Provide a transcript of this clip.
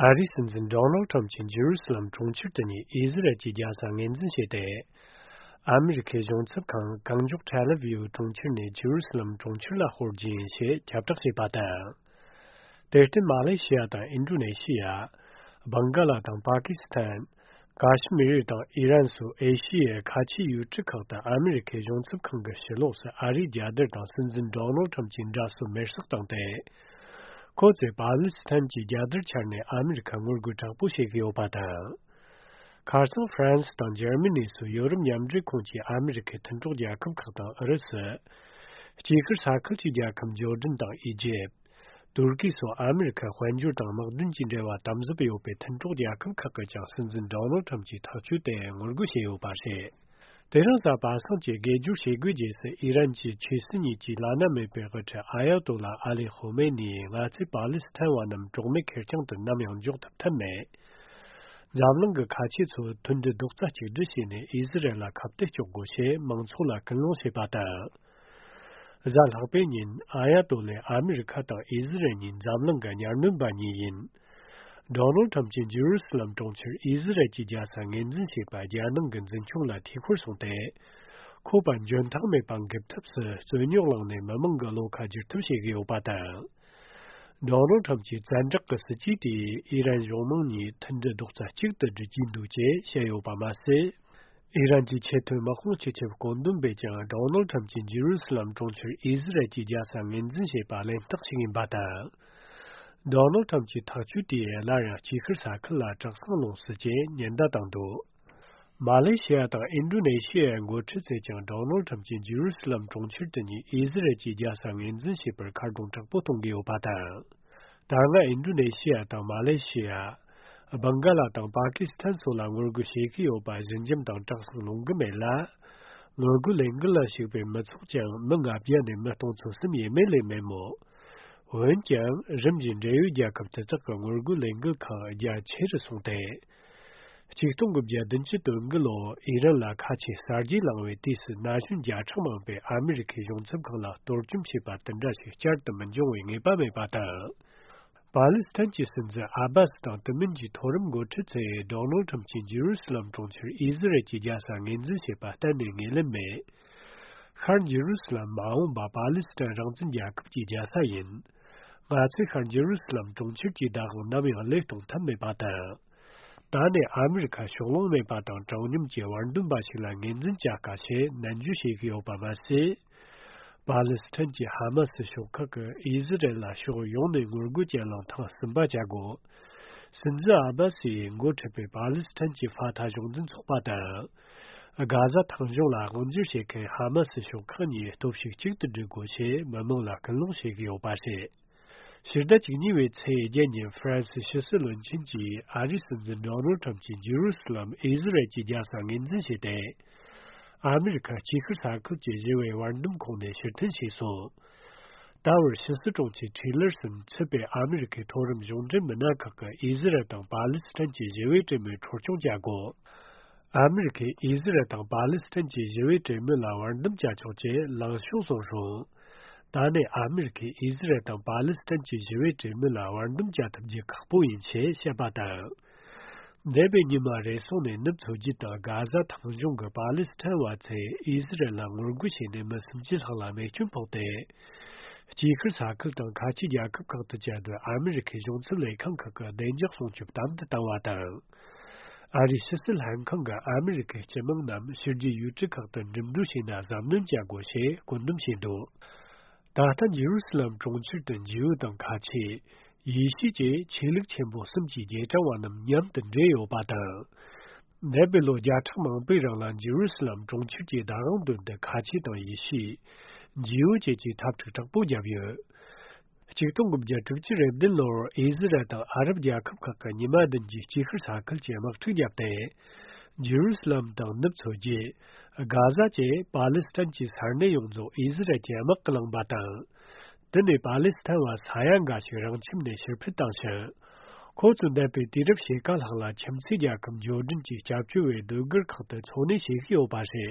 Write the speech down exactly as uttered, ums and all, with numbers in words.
ཨ་རིའི་སྲིད་འཛིན་ཌོ་ནལ་ཁྲམ་གྱིས་ཇེ་རུ་སི་ལམ་གྲོང་ཁྱེར་དུ་ཉིད་ཨི་ཟི་རལ་གྱི་རྒྱལ་ས་ངོས་འཛིན་བྱས་ཏེ། ཨ་མི་རི་ཁའི་གཞུང་ཚབ་ཁང་གང་མགྱོགས་ཐེལ་ཨ་བིབ་གྲོང་ཁྱེར་ནས་ཇེ་རུ་སི་ལམ་གྲོང་ཁྱེར་ལ་སྤོར་རྒྱུ་ཡིན་ཞེས་ཁྱབ་བསྒྲགས་བྱས་པ་དང་། དེར་བརྟེན་མ་ལེ་ཤི་ཡ་དང་ཨིན་ཌོ་ནེ་ཤི་ཡ། བང་ག་ལ་དང་པ་ཀི་སི་ཐན། ཀ་ཤི་མིར་དང་ཨི་རན་སོགས་ཨེ་ཤི་ཡའི་ཁ་ཆེའི་ཡུལ་གྲུ་ཁག་ཏུ་ཨ་མི་རི་ཁའི་གཞུང་ཚབ་ཁང་གི་ཕྱི་ལོགས་སུ་ཨ་རིའི་རྒྱལ་དར་དང་སྲིད་འཛིན་ཌོ་ནལ་ཁྲམ་གྱི་འདྲ་གསོལ་མེར་སྲེག་བཏང་སྟེ། ཁོ་ཚོས་པ་ལི་སི་ཐན་གྱི་རྒྱལ་དར་འཕྱར་ནས་ཨ་མི་རི་ཁར་ངོ་རྒོལ་དྲག་པོ་བྱེད་ཀྱི་ཡོད་པ་དང་། ཁ་སང་ཧྥ་རན་སི་དང་འཇར་མ་ནི་སོགས་ཡོ་རོབ་མཉམ་འབྲེལ་ཁོངས་ཀྱི་ཨ་མི་རི་ཁའི་མཐུན་གྲོགས་རྒྱལ་ཁབ་ཁག་དང་ཨུ་རུ་སུ། དཀྱིལ་ཤར་ས་ཁུལ་གྱི་རྒྱལ་ཁབ་ཇོར་ཌན་དང་ཨི་ཇེབ། ཏུར་ཀི་སོགས་ཨ་མི་རི་ཁ་དཔལ་འབྱོར་དང་དམག་དོན་གྱི་འབྲེལ་བ་དམ་ཟབ་ཡོད་པའི་མཐུན་གྲོགས་རྒྱལ་ཁབ་ཁག་གིས་ཀྱང་སྲིད་འཛིན་ཌོ་ནལ་ཁྲམ་གྱི་ཐག་གཅོད་དེ་ངོ་རྒོལ་བྱས་ཡོད་པ་རེད། དེ་རིང་གཟའ་པ་སངས་ཀྱི་དགེ་སྦྱོར་བྱེད་སྒོའི་རྗེས་སུ་ཨི་རན་གྱི་ཆོས་སྲིད་གཉིས་ཀྱི་བླ་ན་མེད་པའི་དབུ་ཁྲིད་ཨ་ཡ་ཏོ་ལ་ཨ་ལི་ཁོ་མེ་ནིས་ང་ཚོས་པ་ལི་སི་ཐན་བ་རྣམས་གྲོགས་མེད་ཁེར་རྐྱང་དུ་ནམ་ཡང་འཇོག་ཐུབ་ཐབས་མེད། འཛམ་གླིང་གི་ཁ་ཆེ་ཚོས་མཐུན་སྒྲིལ་རྡོག་རྩ་གཅིག་སྒྲིལ་བྱས་ནས་ཨི་ཟི་རལ་ལ་ཁ་གཏད་གཅོག་དགོས་ཞེས་མང་ཚོགས་ལ་ཀུན་སློང་བྱས་པ་དང་། གཟའ་ལྷག་པའི་ཉིན་ཨ་ཡ་ཏོ་ལས་ཨ་མི་རི་ཁ་དང་ཨི་ཟི་རལ་གཉིས་འཛམ་གླིང་གི་གཉའ་གནོན་པ་གཉིས་ཡིན། ཌོ་ནལ་ཁྲམ་གྱིས་ཇེ་རུ་སི་ལམ་གྲོང་ཁྱེར་ཨི་ཟི་རལ་གྱི་རྒྱལ་ས་ངོས་འཛིན་བྱས་པ་རྒྱལ་ནང་གི་འཛིན་སྐྱོང་ལ་འཐུས་ཤོར་སོང་སྟེ། ཁོ་པ་འཇོན་ཐང་མེད་པ་འགེབས་ཐབས་སུ་རྩོད་རྙོག་བསླངས་ནས་མི་མང་གི་བློ་ཁ་བསྒྱུར་ཐབས་བྱེད་ཀྱི་ཡོད་པ་དང་། ཌོ་ནལ་ཁྲམ་གྱི་བཙན་དྲག་གི་སྲིད་ཇུས་དེས་ཨི་རན་གཞུང་མང་གཉིས་མཐུན་སྒྲིལ་རྡོག་རྩ་གཅིག་ཏུ་སྒྲིལ་གྱི་འདུག་ཅེས་བཤད་ཡོད་པ་མ་ཟད། ཨི་རན་གྱི་ཆེས་མཐོའི་དམག་དཔུང་སྤྱི་ཁྱབ་བཀོད་འདོམས་པས་ཀྱང་ཌོ་ནལ་ཁྲམ་གྱིས་ཇེ་རུ་སི་ལམ་གྲོང་ཁྱེར་ཨི་ཟི་རལ་གྱི་རྒྱལ་ས་ངོས་འཛིན་བྱས་པ་གླེན་རྟགས་ཤིག་ཡིན་པ་དང་། ཌོ་ནལ་ཁྲམ་གྱི་ཐག་གཅོད་དེས་སླར་ཡང་དཀྱིལ་ཤར་ས་ཁུལ་ལ་གྲགས་སང་ལོངས་སུ་སྤྱད་ཉེན་བརྡ་བཏང་འདུག་མ་ལེ་ཤི་ཡ་དང་ཨིན་ཌོ་ནེ་ཤི་ཡའི་འགོ་ཁྲིད་ཚོས་ཀྱང་ཌོ་ནལ་ཁྲམ་གྱིས་ཇེ་རུ་སི་ལམ་གྲོང་ཁྱེར་དུ་ཉིད་ཨི་ཟི་རལ་གྱི་རྒྱལ་ས་ངོས་འཛིན་བྱས་པར་ཁ་རྡུང་དྲག་པོ་གཏོང་གི་ཡོད་པ་དང་། ད་སྔ་ཨིན་ཌོ་ནེ་ཤི་ཡ་དང་མ་ལེ་ཤི་ཡ། བང་ག་ལ་དང་པ་ཀི་སི་ཐན་སོགས་ལ་ངོ་རྒོལ་བྱེད་ཀྱི་ཡོད་པ་ཞི་འཇམ་དང་དྲག་སང་ལོང་གི་མེད་ལ། ངོ་རྒོལ་ལས་འགུལ་ལ་ཞུགས་པའི་མི་ཚོགས་ཀྱང་མི་ལྔ་བརྒྱ་ནས་མི་སྟོང་ཚོ་གསུམ་ཡས་མས་ལས་མེད་མོད། འོན་ཀྱང་རིམ་བཞིན་འབྲེལ་ཡོད་རྒྱལ་ཁབ་དེ་དག་གི་ངོ་རྒོལ་ལས་འགུལ་ཁག་རྒྱ་ཆེ་རུ་སོང་སྟེ། ཆིག་སྟོང་དགུ་བརྒྱ་བདུན་ཅུ་དོན་དགུ་ལོར་ཨི་རན་ལ་ཁ་ཆེ་གསར་བརྗེ་བསླངས་པའི་དུས་སུ་ན་གཞོན་བརྒྱ་ཕྲག་མང་པོས་ཨ་མི་རི་ཁའི་གཞུང་ཚབ་ཁང་ལ་གཏོར་བཅོམ་བྱས་པ་དེ་འདྲ་ཞིག་བསྐྱར་དུ་མི་འབྱུང་བའི་ངེས་པ་མེད་པ་དང་། པ་ལི་སི་ཐན་གྱི་སྲིད་འཛིན་ཨ་བྷ་སི་དང་དེ་མིན་གྱི་མཐོ་རིམ་འགོ་ཁྲིད་ཚོས་ཌོ་ནལ་ཁྲམ་གྱིས་ཇེ་རུ་སི་ལམ་གྲོང་ཁྱེར་ཨི་ཟི་རལ་གྱི་རྒྱལ་ས་ངོས་འཛིན་བྱས་པ་གཏན་ནས་ངོས་ལེན་མེད། ཤར་ཇེ་རུ་སི་ལམ་མ་འོངས་པ་པ་ལི་སི་ཐན་རང་བཙན་རྒྱལ་ཁབ་ཀྱི་རྒྱལ་ས་ཡིན། ང་ཚོས་ཤར་ཇེ་རུ་སི་ལམ་གྲོང་ཁྱེར་གྱི་བདག་དབང་ནམ་ཡང་བློས་གཏོང་ཐབས་མེད་པ་དང་། ད་ནས་ཨ་མི་རི་ཁ་ཕྱོགས་ལྷུང་མེད་པ་དང་དྲང་སྙོམས་ཀྱི་བར་འདུམ་པ་ཞིག་ལ་ངོས་འཛིན་བྱ་དཀའ་ཞེས་ནན་བརྗོད་བྱེད་ཀྱི་ཡོད་པ་མ་ཟད། པ་ལི་སི་ཐན་གྱི་ཧ་མ་སི་ཤོག་ཁག་གིས་ཨི་ཟི་རལ་ལ་ཕྱོགས་ཡོངས་ནས་ངོ་རྒོལ་གྱི་གླེང་སྟེགས་གསུམ་པ་བྱ་དགོས། སྲིད་འཛིན་ཨ་བྷ་སི་ཡིས་འགོ་ཁྲིད་པའི་པ་ལི་སི་ཐན་གྱི་ཕ་ཐ་གཞུང་འཛིན་ཚོགས་པ་དང་། གྷ་ཟ་ཐང་གཞུང་ལ་དབང་སྒྱུར་བྱེད་མཁན་ཧ་མ་སི་ཤོག་ཁག་གཉིས་སྟོབས་ཤུགས་གཅིག་ཏུ་སྒྲིལ་དགོས་ཞེས་མི་མང་ལ་སྐུལ་སློང་བྱེད་ཀྱི་ཡོད་པ་རེད། ཕྱི་ཟླ་བཅུ་གཉིས་པའི་ཚེས་བརྒྱད་ཉིན་ཧྥ་རན་སིའི་ཕྱི་སྲིད་བློན་ཆེན་གྱིས་ཨ་རིའི་སྲིད་འཛིན་ཌོ་ནལ་ཁྲམ་གྱིས་ཇེ་རུ་སི་ལམ་ཨི་ཟི་རལ་གྱི་རྒྱལ་ས་ངོས་འཛིན་བྱས་ཏེ། ཨ་མི་རི་ཁ་དཀྱིལ་ཤར་ས་ཁུལ་གྱི་ཞི་བའི་བར་འདུམ་ཁོངས་ནས་ཕྱིར་འཐེན་བྱས་སོང་། ད་བར་ཕྱི་སྲིད་དྲུང་ཆེ་ཊི་ལར་སོན་ཚུད་པའི་ཨ་མི་རི་ཁའི་མཐོ་རིམ་གཞུང་འབྲེལ་མི་སྣ་ཁག་གིས་ཨི་ཟི་རལ་དང་པ་ལི་སི་ཐན་གྱི་ཞི་བའི་གྲོས་མོལ་འཕྲོ་སྐྱོང་བྱ་དགོས། ཨ་མི་རི་ཁས་ཨི་ཟི་རལ་དང་པ་ལི་སི་ཐན་གྱི་ཞི་བའི་གྲོས་མོལ་ལ་བར་འདུམ་བྱ་ཆོག་ཅེས་ལངས་ཕྱོགས་བཟུང་རུང་། ད་ནས་ཨ་མི་རི་ཁས་ཨི་ཟི་རལ་དང་པ་ལི་སི་ཐན་གྱི་ཞི་བའི་གྲོས་མོལ་ལ་བར་འདུམ་བྱ་ཐུབ་རྒྱུ་ཁག་པོ་ཡིན་ཞེས་བཤད་པ་དང་། འདས་པའི་ཉི་མ་རེ་ཟུང་ནས་ནུབ་མཚོ་རྒྱུད་དང་གྷ་ཟ་ཐང་གཞུང་གི་པ་ལི་སི་ཐན་བ་ཚོས་ཨི་ཟི་རལ་ལ་ངོ་རྒོལ་བྱས་ནས་མི་སུམ་ཅུ་ལྷག་ལ་རྨས་སྐྱོན་ཕོག་སྟེ། དཀྱིལ་ཤར་ས་ཁུལ་དང་ཁ་ཆེའི་རྒྱལ་ཁབ་ཁག་ཏུ་བཅའ་སྡོད་ཨ་མི་རི་ཁའི་གཞུང་ཚབ་ལས་ཁང་ཁག་གི་བདེ་འཇགས་སྲུང་སྐྱོབ་དམ་དུ་བཏང་བ་དང་། ཨ་རིའི་ཕྱི་སྲིད་ལྷན་ཁང་གིས་ཨ་མི་རི་ཁའི་སྤྱི་དམངས་རྣམས་ཕྱི་རྒྱལ་ཡུལ་གྲུ་ཁག་ཏུ་འགྲིམ་འགྲུལ་བྱས་ན་གཟབ་ནན་བྱ་དགོས་ཞེས་བཀོད་འདོམས་བྱས་འདུག་ད་ལྟ་ཇེ་རུ་སི་ལམ་གྲོང་ཁྱེར་དུ་འཇིའུ་དང་ཁ་ཆེ། ཡེ་ཤུ་བཅས་ཆོས་ལུགས་ཆེན་པོ་གསུམ་གྱི་རྗེས་འབྲང་བ་རྣམས་མཉམ་དུ་འདྲེས་ཡོད་པ་དང་། འདས་པའི་ལོ་བརྒྱ་ཕྲག་མང་པོའི་རིང་ལ་ཇེ་རུ་སི་ལམ་གྲོང་ཁྱེར་གྱི་བདག་དབང་དོན་དུ་ཁ་ཆེ་དང་ཡེ་ཤུ། འཇིའུ་བཅས་ཀྱིས་འཐབ་འཁྲུག་དྲག་པོ་བརྒྱབ་ཡོད། ཆིག་སྟོང་དགུ་བརྒྱ་དྲུག་ཅུ་རེ་བདུན་ལོར་ཨི་ཟི་རལ་དང་ཨ་རབ་རྒྱལ་ཁབ་ཁག་གིས་ཉི་མ་བདུན་གྱི་དཀྱིལ་ཤར་ས་ཁུལ་གྱི་དམག་འཁྲུག་བརྒྱབ་སྟེ། ཇེ་རུ་སི་ལམ་དང་ནུབ་མཚོ་རྒྱུད། གྷ་ཟ་བཅས་པ་ལི་སི་ཐན་གྱི་ས་གནས་ཡོངས་རྫོགས་ཨི་ཟི་རལ་གྱི་དམག་གིས་བླངས་པ་དང་། དེ་ནས་པ་ལི་སི་ཐན་བ་ས་ཡ་འགའ་ཞིག་རང་ཁྱིམ་ནས་ཕྱིར་འཕུད་བཏང་ཞིང་། ཁོ་ཚོས་འདས་པའི་དུས་རབས་ཕྱེད་ཀ་ལྷག་ལ་ཁྱིམ་མཚེས་རྒྱལ་ཁབ་ཇོར་ཌན་གྱི་སྐྱབས་བཅོལ་བའི་སྡོད་སྒར་ཁག་ཏུ་འཚོ་གནས་བྱེད་ཀྱི་ཡོད་པ་རེད།